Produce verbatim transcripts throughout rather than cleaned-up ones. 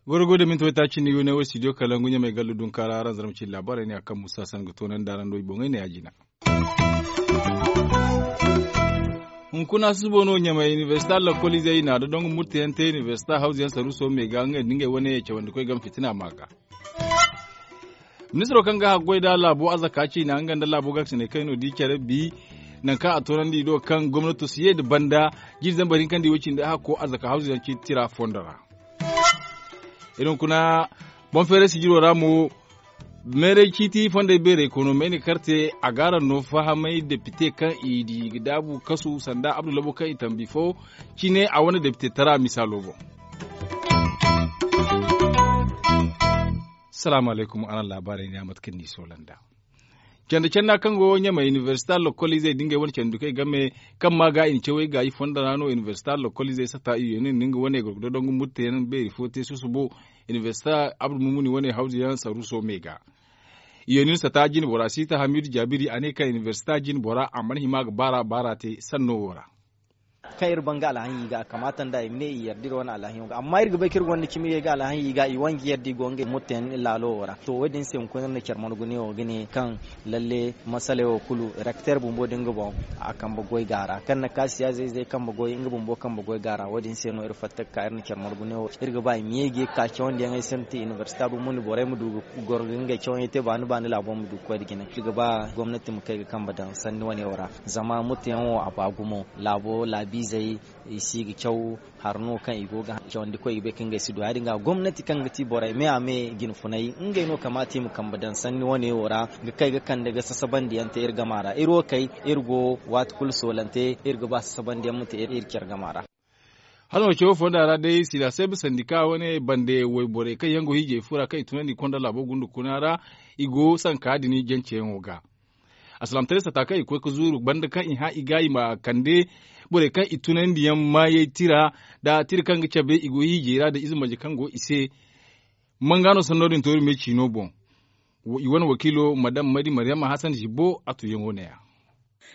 Goro go da minti waytaaci ni yo ne wo studio kalangu ɲamay gallu dunkaara aranzar ma ci laabaarey ne a kaŋ musa san ga toonandi araŋ do i boŋey ne ya jina. Hunkuna susubo no ɲamay inibersita lakkoliizey i na da dongu murtayaŋ te inibersita hawzuyaŋ saruuso me ga ngey nda ngey wane cawandikoy game fitina ma ga. Ministiro kaŋ ga haggoy nda laabo arzaka ciina nga nda laabo garsiney kaŋ i no di care bi nangu kaŋ a toonandi i do kaŋ gomnato si ye nda banda jiiri zambar hinka nda i wo cindi hakko arzaka hawzuyaŋ ciiti tira fondo ra. Iri hunkuna boŋ feeray sijiro ra mo meeray ciiti fondey beerey kono mayni karte a ga araŋ no fahamay depite kaŋ i di ga daabu kasu sanda abdu labo kaŋ i tambi fo cine a wane depite tara misaalo boŋ. Salaamu alaykum araŋ laabaarey ne a mate kaŋ ni soola nd'a. Canda canda kaŋ go ɲamay inibersita lokoliizey da ngey wane candi kay game kaŋ ma ga i na cawey gaayi fonda ra no inibersita lokoliizey sata i yeenin nda nga wane gorgodo dongu murtayaŋ beeri fo te susubo inibersita abdu mumuni wane hawzuyaŋ saruuso me ga. I yeenin sata jine bora siita hamidu jaabiri a ne kaŋ inibersita jine bora a mana hima ga baara baara te sanno wo ra. Kaŋ iri ban ga alhaɲi ga a kamaata nda i ma ne i yarda iri wane alhaɲo ga amma iri ga bay kaŋ iri gonda cimi ga alhaɲi ga i wanji yarda i go ngey murtayaŋ laalo wo ra to wo- din se hunkuna iri na care margu ne wo ga ne kaŋ lalle masaley wo kulu rekteer bumbo da nga boŋ a kambe goy ga a ra kaŋ na ka siyaazey zey kambe goy nga bumbo kambe goy ga a ra wo- din se no iri fatta ga ka iri na care margu ne wo iri ga ba i ma ye ga ye ga ka cawandiyaŋey se mate inibersita bumbo nda borey ma du ga goro ga ngey cawayaŋ te baani baani laabo ma du ga koy nda jine iri ga ba gomnati ma kay ga kambe daŋ sanni wane wo ra. Zama murtayaŋ wo a ba gumo laabo laabiizey i si ga caw. Hari no kaŋ i go ga cawandi koy ga bay kaŋ ngey si du ya- din ga gomnati kaŋ ga ti borey me a me jine funay ngey no kamaata i ma kambe daŋ sanni wane wo ra ga kay ga kande ga sasabandiyaŋ te iri gama ra iri wo kay iri go waati kulu soolante iri ga ba sasabandiyaŋ ma te iri care gama ra. Hala no cawo fonda ra day sila seeb sandika wane bande wayborey kaŋ yaŋ go hiijay fura kaŋ i tunandi konda laabo gunda kuna ra i go sanka din janceyaŋo ga. Alsilaamataray sata kaŋ i koy ga zuuru banda kaŋ i hã i ga i ma kande borey kaŋ i tunandi yaŋ maayey tira nda tira kaŋ ga cabe i go hiijay ra nda ize marje kaŋ go i se. Manga no sanno din tooru me ciino boŋ. I wane wakiilo madam mari maryama hasan zibbo a tuyaŋo ne- ya.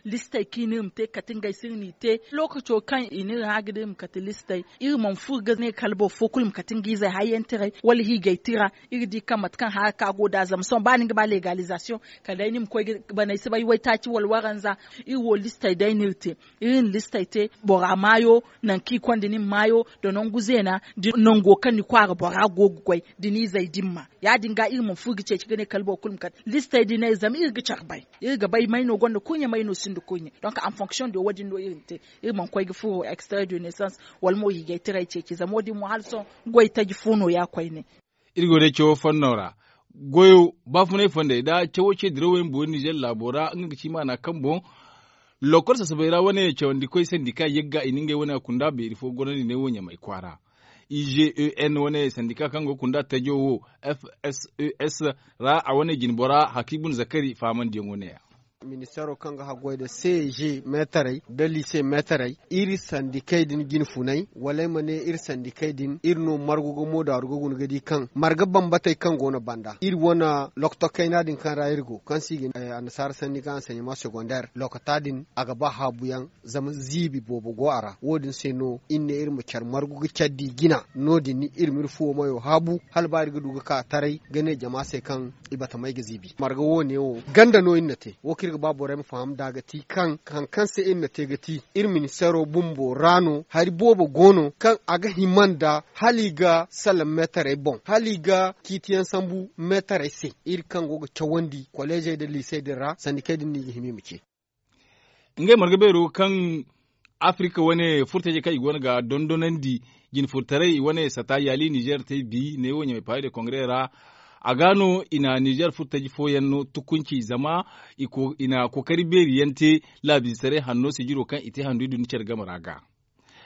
Listey kaŋ i ne iri ma te kate ngey se iri n'i te lookaco kaŋ i ne iri hã ga da iri ma kate listey iri mana furo ga ne kala boro fo kulu ma kate nga izey hayyantaray wala hiijay tira. Iri di kaŋ mate kaŋ hara ka go nd'a zama sohõ ba ni ga ba legalizasiyoŋ kala day ni ma koy ga baney si bay waytaaci wala waranza. Iri wo listey day no iri te. Iri na listey te bora maayo nangu kaŋ i konda ni ma maayo nda nangu zeena nda nango kaŋ ni kwaara bora go ga goy da ni izey dimma. Ya- din ga iri mana furo ga ceeci ga ne kala boro kulu ma kate listey din no iri zama iri ga care bay. Iri ga bay may no gonda kurɲe may no sinda kurɲe donk en fonction de wo- din no iri na te. Iri mana koy ga furo extrait de naissance wala mo hiijay tiray ceeci zama wo- din mo hala sohõ goy taji fo no- ya koyne. Iri go day cawo fonno ra goyo baafunay fondey nda cawo ce dirawo yaŋ boori nizer laabo ra nga ga ci maana kaŋ boŋ lokol sasabey ra wane cawandikoy sandika yagga i na ngey wane kunda beeri fo gorandi ne wo ɲamay kwaara. I g e n wane sandika kaŋ go ga kunda tajo wo f s e s ra a wane jine bora hakiibun zakari fahamandiyaŋo ne- ya. Ministeero kaŋ ga haggoy nda c g meetarey nda liise meetarey iri sandikey din jine funay wala ay ma ne iri sandikey din iri no margu ga moodaaru ga guna ga di kaŋ marga bambatey kaŋ go no banda iri wane lokto kayna din kaŋ ra iri go kaŋ se i ga ne annasaara sanni ga anseɲema segondeer lokota din a ga ba haabuyaŋ. Zama ziibi boobo go a ra wo- din se no iri ne iri ma care margu ga care di jina no- din iri ma iri fuwo mayo haabu hala ba iri ga du ga ka taray ga ne jama se kaŋ i batamey ga ziibi marga wo- ne wo ganda no iri na te wo kaŋ iri ga ba borey ma faham nd'a ga ti kaŋ hari kaŋ se iri na te ga ti iri ministeero bumbo ra no hari boobo go no kaŋ a ga hima nda hala i ga salaŋ meetarey boŋ hala i ga ciitiyaŋ sambu meetarey se iri kaŋ go ga cawandi koleezey nda liisey din ra sandikey din no i ga hima i ma ce. Ngey marga beero kaŋ afirika wane furtaje kaŋ i go no ga dondonandi jine furtaray i wane sata yaali nizer te bi ne wo ɲamay paris de kongre ra. A ga no i na nizer furtaje fooyaŋ no tukunci zama i na kookari beeri yaŋ te laabiizetaray hanno sijiro kaŋ i te handu i duni care game ra ga.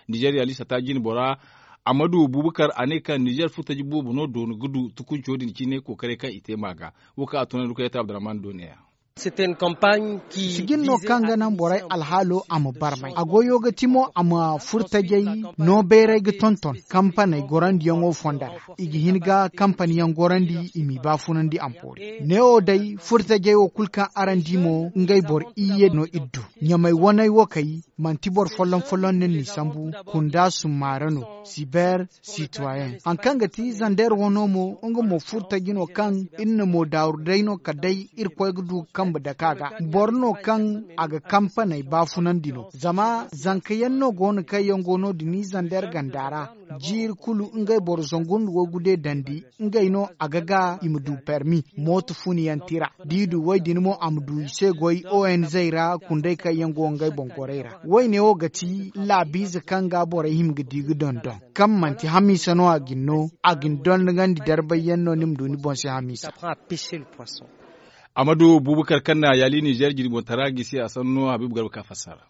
Nizer yaali sata jine bora amadu bubakar a ne kaŋ nizer furtaje boobo no doonu ga du tukunco din cine kookaray kaŋ i te ma ga. Wo kaŋ a tunandi koy ya te abdurrahman do ne- ya. Sijin no kaŋ ga naŋ borey alhaalo a ma barmay a goyo ga ti mo a ma furtajey no bayray ga tonton kampaney gorandiyaŋo fondo ra. I ga hin ga kampaniyaŋ gorandi i m'i baafunandi ampoori neewo day furtajey wo kulu kaŋ araŋ di mo ngey boro iyye no iri du. Ɲamay waney wo kay manti boro folloŋ folloŋ no ni sambu kunda summaara no. Siber sitoyen haŋ kaŋ ga ti zander wano mo nga mo furtaji no kaŋ iri na mo daaru day no kala day irkoy ga du ga kambe dake a ga. Boro no kaŋ a ga kampaney baafunandi no zama zankayaŋ no go no kaŋ yaŋ go no- din zander ganda ra. Jiiri kulu ngey boro zangu nda waygu de dandi ngey no a ga ga i ma du permi mooto funiyaŋ tira. Da i du woy din mo a ma du i se goy onz ra kundey kaŋ yaŋ go ngey boŋ gorey ra. Woyne wo ga ti laabiize kaŋ ga borey hima ga di ga dondon kaŋ manti hamiisa no a ga ni no a ga ni dondogandi darbayyaŋ no ni ma du ni boŋ se hamiisa. Amadu bubakar kaŋ na yaali nizer jirboŋ tara gisi a sanno habiibu garba ka fassara.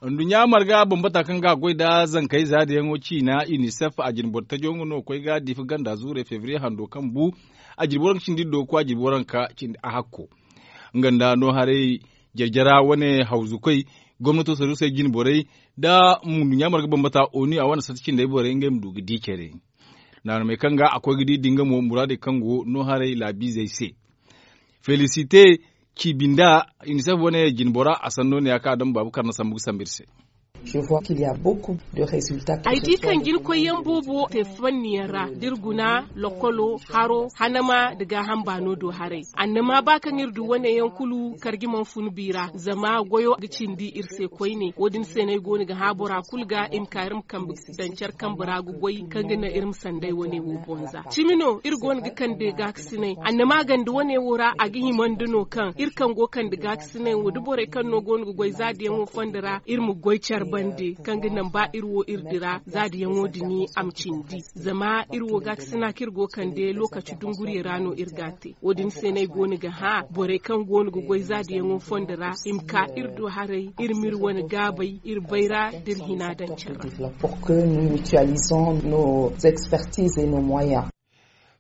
Nduɲɲa marga bambata kaŋ ga a goy nda zankey zaadiyaŋo ciina unicef a jine boro tajo nga no ga koy ga diifa ganda zuurey febriye hando kaŋ bu. A jirbi waranka cindi iri do ga koy a jirbi waranka cindi a hakko nga nda no haray jarjara wane hawzu koy gomnato saruusey jine borey nda nduɲɲa marga bambata onu a wane sata cindey borey ngey ma du ga di care. Naanamey kaŋ ga a koy ga di din ga mo muraadey kaŋ go no haray laabiizey se. Felisite ciibinda unicef wane jine bora a sanno ne ya kaŋ a daŋ baabu karna sambu ga sambu iri se. Ay di kaŋ jirkoyyaŋ boobo te fanniyaŋ ra da iri guna lokolo haro hanama nda gaaham baano do haray. Annama ba kaŋ iri du wane yaŋ kulu karji mana fun bi ra zama goyo ga cindi iri se koyne wo- din se no ay go no ga hã bora kulu ga i ma ka iri ma kambe daŋ care kambe ra ga goy kaŋ ga naŋ iri ma sanday wane wo bonza cimi no iri go no ga kande gaakasinay annama ganda wane wo ra a ga himandi no kaŋ iri kaŋ go kande gaakasinay wo da borey kaŋ no go no ga goy zaadiyaŋo fondo ra iri ma goy care bande kaŋ ga naŋ ba iri wo iri dira zaadiyaŋo dini a ma cindi. Zama iri wo gaakasina kaŋ iri go kande lokaci dunguriyey ra no iri ga a te wo- din se no ay go no ga hã borey kaŋ go no ga goy zaadiyaŋo fondo ra i ma ka iri do haray iri m'iri wane gaabey iri bayra da iri hina daŋ care ra.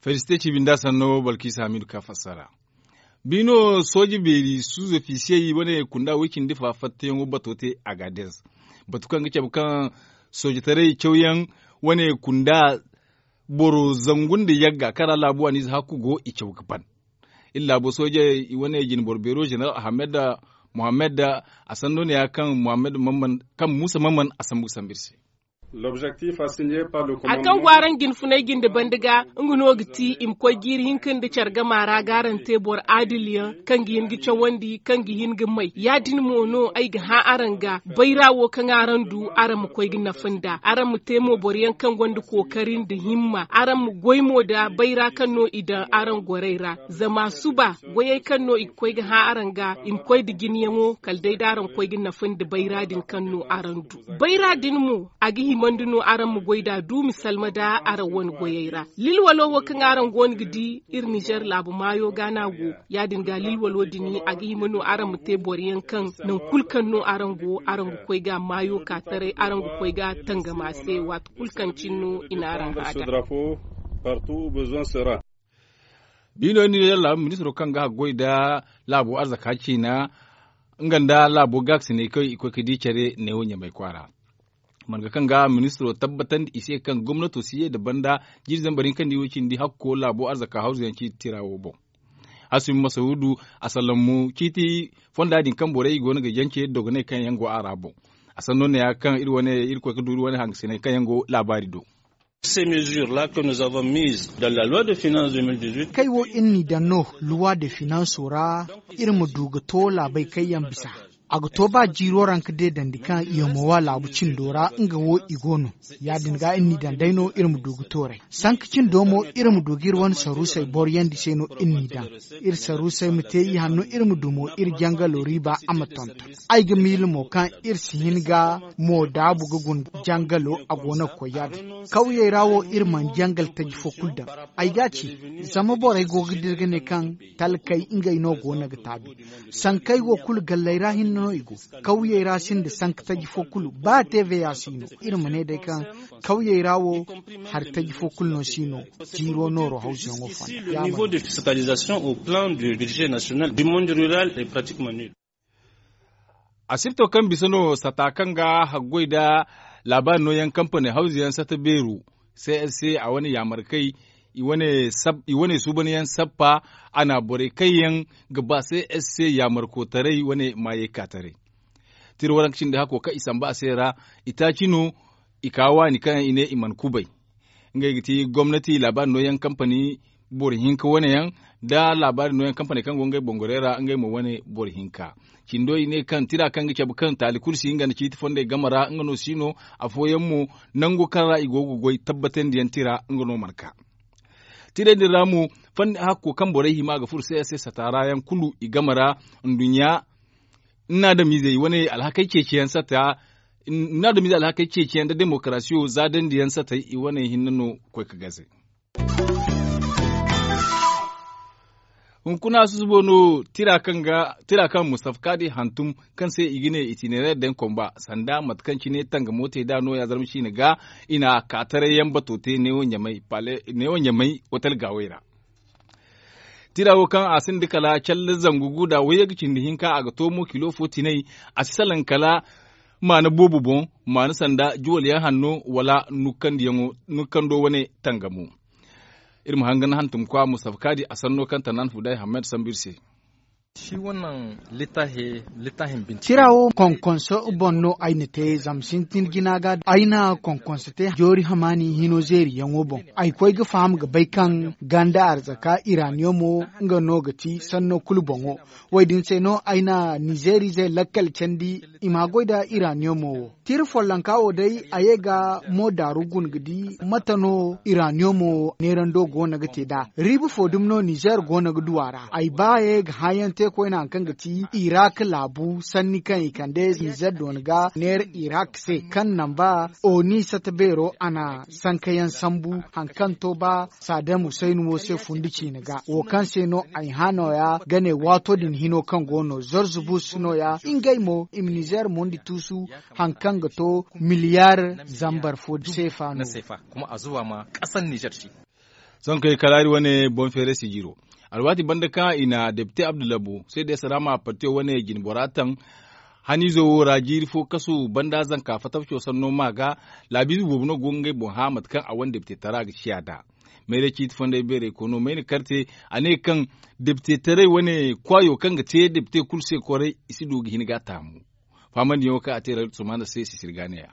Felisite ciibinda sanno balkiisa hamidu ka fassara. Biino sooje beeri suuzofisiyey wane kunda woy cindi fa fattayaŋo bato te agadez. Batu kaŋ ga cabe kaŋ soojetaray cawyaŋ wane kunda boro zangu nda yagga kaŋ ra laabu aniize hakku go i caw ga ban. Iri laabo soojey i wane jine boro beero zeneral ahamed mohammed a sanno ne ya kaŋ musa mamman a sambu ga sambu iri se. Hari kaŋ go araŋ jine funay jinde banda ga nga no ga ti i ma koy jiiri hinka nda care gama ra ga araŋ te boro aadiliyaŋ kaŋ ga hin ga cawandi kaŋ ga hin ga may ya- din mo no ay ga hã araŋ ga bayra wo kaŋ araŋ du araŋ ma koy ga nafa nd'a araŋ ma te mo boroyaŋ kaŋ gonda kookari nda himma araŋ ma goy mo nda bayra kaŋ no i daŋ araŋ gorey ra. Zama suba goyey kaŋ no i ga koy ga hã araŋ ga i ma koy nda jinyaŋo kala day da araŋ koy ga nafa nda bayra din kaŋ no araŋ du. Bayra din mo a ga himandi no araŋ ma goy nd'a duumi salma nda araŋ wane goyey ra. Lilwalo wo kaŋ araŋ go no ga di iri nizer laabu maayo ga no a go. Ya- din ga lilwalo din a ga hima no araŋ ma te boroyaŋ kaŋ nangu kulu kaŋ no araŋ go araŋ ga koy ga maayo ka taray araŋ ga koy ga tangam a se waati kulu kaŋ cine no i na araŋ hã nd'a. Biino iri nizer laabu ministiro kaŋ ga haggoy nda laabo arzaka ciina nga nda laabo gaakasinay kaŋ i koy ga di care neewo ɲamay kwaara. Marga kaŋ ga ministiro tabbatandi i se kaŋ gomnato si ye nda banda jiiri zambar hinka nda i wo cindi hakko laabo arzaka hawzuyaŋ ciiti tira wo boŋ. Hasumi masawudu a sallamu ciiti fonda din kaŋ borey go no ga jance dogoney kaŋ yaŋ go a ra boŋ. A sanno ne ya kaŋ iri wane iri koy ga du iri wane hangasinay kaŋ yaŋ go laabaari do. Ces mesures là que nous avons mises dans la loi de finances deux mille dix-huit. Kay wo iri n'i daŋ no luwa de finanso ra iri ma du ga to laabey kaŋ yaŋ bisa. A ga to ba jiiro ra nga deedandi kaŋ yomowa laabu cindo ra nga wo i go no. Ya- din ga iri n'i daŋ day no iri ma du ga tooray sanka cindo mo iri ma du ga iri wane saruusey boroyandi se no iri n'i daŋ. Iri saruusey ma te i hanno iri ma du mo iri jangalo riiba a ma tonton. Ay ga miila mo kaŋ iri si hin ga mo daabu ga guna jangalo a go no ga koy ya- din. Kawyey ra wo iri mana jangal taji fo kulu daŋ. Ay ga a ci zama borey go ga dira ga ne kaŋ talkey ngey no go no ga taabi. Sankey wo kulu galley ra hinne. no i go. Kawyey ra sinda sanka taji fo kulu ba te veya si no iri ma ne day kaŋ kawyey ra wo hari taji fo kulu no si no. Jiiro nooro hawzuyaŋo fonda ya ma no. A sirto kaŋ bisa no sata kaŋ ga haggoy nda laabaari nooyaŋ kampani hawzuyaŋ sata beero, c s c a wane yaamarkey i wane suubanyaŋ sappa. A na borey kaŋ yaŋ ga ba c s c yaamarkotaray wane maayey ka taray. Tira waranka cindi hakko kaŋ i samba a se ra, itaaci no i ka waani kaŋ yaŋ i ne i mana kubay. Ngey ga ti gomnati laabaari nooyaŋ kampani boro hinka wane yaŋ, nda laabaari nooyaŋ kampaney kaŋ go ngey bongorey ra ngey mo wane boro hinka. Cindo i ne kaŋ tira kaŋ ga cabe kaŋ taali kulu si nga nda ciiti fondey game ra nga no si no. Afooyaŋ mo nango kaŋ ra i go ga goy tabbatandiyaŋ tira nga no mana ka. Tirey din ra mo, fanni hakko kaŋ borey hima ga furo se se sataara yaŋ kulu i game ra nduɲɲa nna adamizey wane alhakey ceeciyaŋ sata nna adamizey alhakey ceeciyaŋ nda demokarasiyo za dandiyaŋ satey i wane hinne no koy ga gaze. Hunkuna susubo no tira kaŋ mustafa kaadi hantum kaŋ se i ga ne itinereer daŋ komba sanda mate kaŋ cine tangamo te nd'a nooya zarma ciine ga. I na kaataray yaŋ bato te neewo ɲamay otel gaawey ra. Tira wo kaŋ a sinda kala calle zangu gu nda wayye ga cindi hinka a ga to mo kilo fo tinay. A si salaŋ kala maana boobo boŋ, maana sanda juwal yaŋ hanno wala nukkando wane tangamo. Iri ma hangan hantumkwa mustafa kaadi a sanno kaŋ tanan fuday hammed sambu iri se. Tira wo konkonso boŋ no ay na te zama sintin jina ga ay na konkonso te joori hamaani hino zeeriyaŋo boŋ. Ay koy ga faham ga bay kaŋ ganda arzaka iraniyomo nga no ga ti sanno kulu boŋo. Wo- din se no ay na nizeerize lakkal candi i ma goy nda iraniyomo wo. Tira follonka wo day a ye ga mo daaru guna ga di mate no iraniyomo neerando go no ga te nd'a. Riiba fo dumi no nizeer go no ga du a ra ay ba ye ga hãayaŋ te koyne hari kaŋ ga ti irak laabu sanni kaŋ i kande nizeer doona ga neera irak se kaŋ namba oni sata beero a na sankayaŋ sambu hari kaŋ to ba saadam husayni wo se fundi ciine ga wo kaŋ se no ay hã nooya ga ne waato din hino kaŋ go no zorzubus nooya ngey mo i ma nizeer mundi tuusu hari kaŋ ga to miliyaar zambar fo seefa no. Sohõ kay kala iri wane boŋ feere sijiro alwaati banda kaŋ i na depite abdullabo se de saraama partiyo wane jinbora taŋ. Haniizo wo ra jiiri fo kasu banda zanka fatabco sanno ma ga laabiize boobo no go ga ngey boŋ hã mate kaŋ a wane depite tara ga ciya nd'a. Mayray ciiti fonday beeray kono mayna karte a ne kaŋ depite taray wane kwaayo kaŋ ga te depite kulu se koray i si du ga hin ga a taamu. Faamandiyaŋo kaŋ a te ra sumana se sisiri ga ne ya.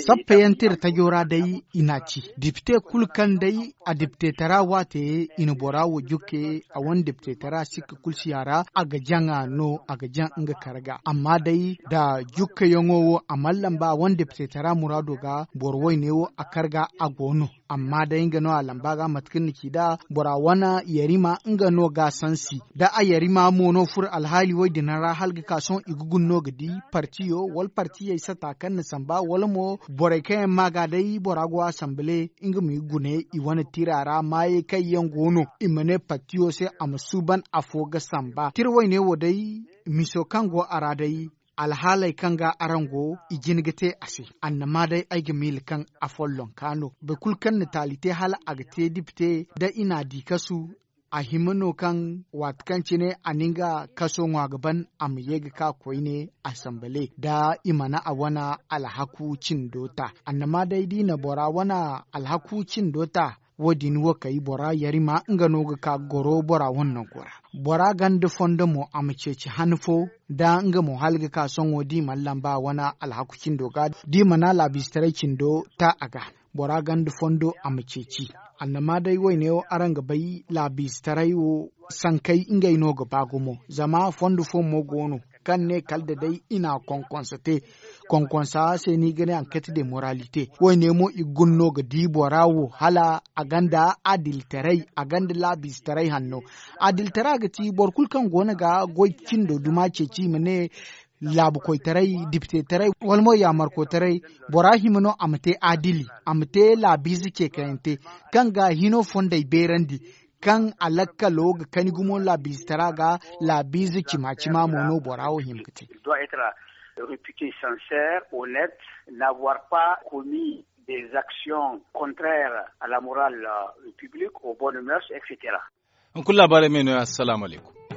Sappayaŋ tira tajo ra day i n'a ci depite kulu kaŋ day a depite tara waate i na bora wo jukke a wane depite tara sikka kulu si a ra a ga jaŋ a no a ga jaŋ nga karga amma day nda jukkayaŋo wo a mana lamba a wane depite tara muraado ga boro wayne wo a karga a go no. Amma day nga no a lamba ga mate kaŋ ni ci nd'a bora wane yarima nga no ga a sansi da a yarima mo no furo alhaali wo- din ra hala ga ka sohõ i ga guna no ga di partiyo wala partiyey sata kaŋ na samba wala mo borey kaŋ yaŋ ma ga day bora go asanbale nga ma i gune i wane tira ra maayey kaŋ yaŋ go no i ma ne partiyo se a ma suuban afo ga samba tira wayne wo day. Miso kaŋ go a ra day alhaaley kaŋ ga araŋ go i jin ga te a se. Annama day ay ga miila kaŋ a follonka no boro kulu kaŋ na taali te hala a ga te dipite da i n'a di kasu. A hima no kaŋ waati kaŋ cine a na nga kaso ŋwa ga ban a ma ye ga ka koyne asanbale da i mana a wane alhaku cindo ta. Annama day da i na bora wane alhaku cindo ta wo- din wo kay bora yarima nga no ga ka goro bora wane nango ra. Bora ganda fondo mo a ma ceeci han fo da nga mo hala ga ka sohõ da i mana lamba a wane alhaku cindo ga da i mana laabiize taray cindo ta a ga. Bora ganda fondo a ma ceeci. Annama day wayne wo araŋ ga bay laabiize taray wo sankey ngey no ga ba gumo zama fondo fo mo go no kaŋ ne kala da day i na konkonsa te. Konkonsa se no i ga ne anketi de moralite wayne mo i ga guna no ga di bora wo hala a gonda adilitaray a gonda laabiize taray hanno. Adilitara ga ti boro kulu kaŋ go no ga goy cindo duma ceeci i ma ne laabu koytaray dipite taray wala mo yaamarko taray. Bora hima no a ma te adili a ma te laabiize ceekayante kaŋ ga hino fondey beerandi. kaŋ a lakkalo ga kani gumo laabiizitara ga. Laabiize cima cima mo no bora wo hima ga te. Doit être réputé sincère, honnête, n'avoir pas commis des actions contraires à la morale publique, aux bonnes mœurs, et cetera. Hunkuna laabaarey me no ya. Assalamu alaykum.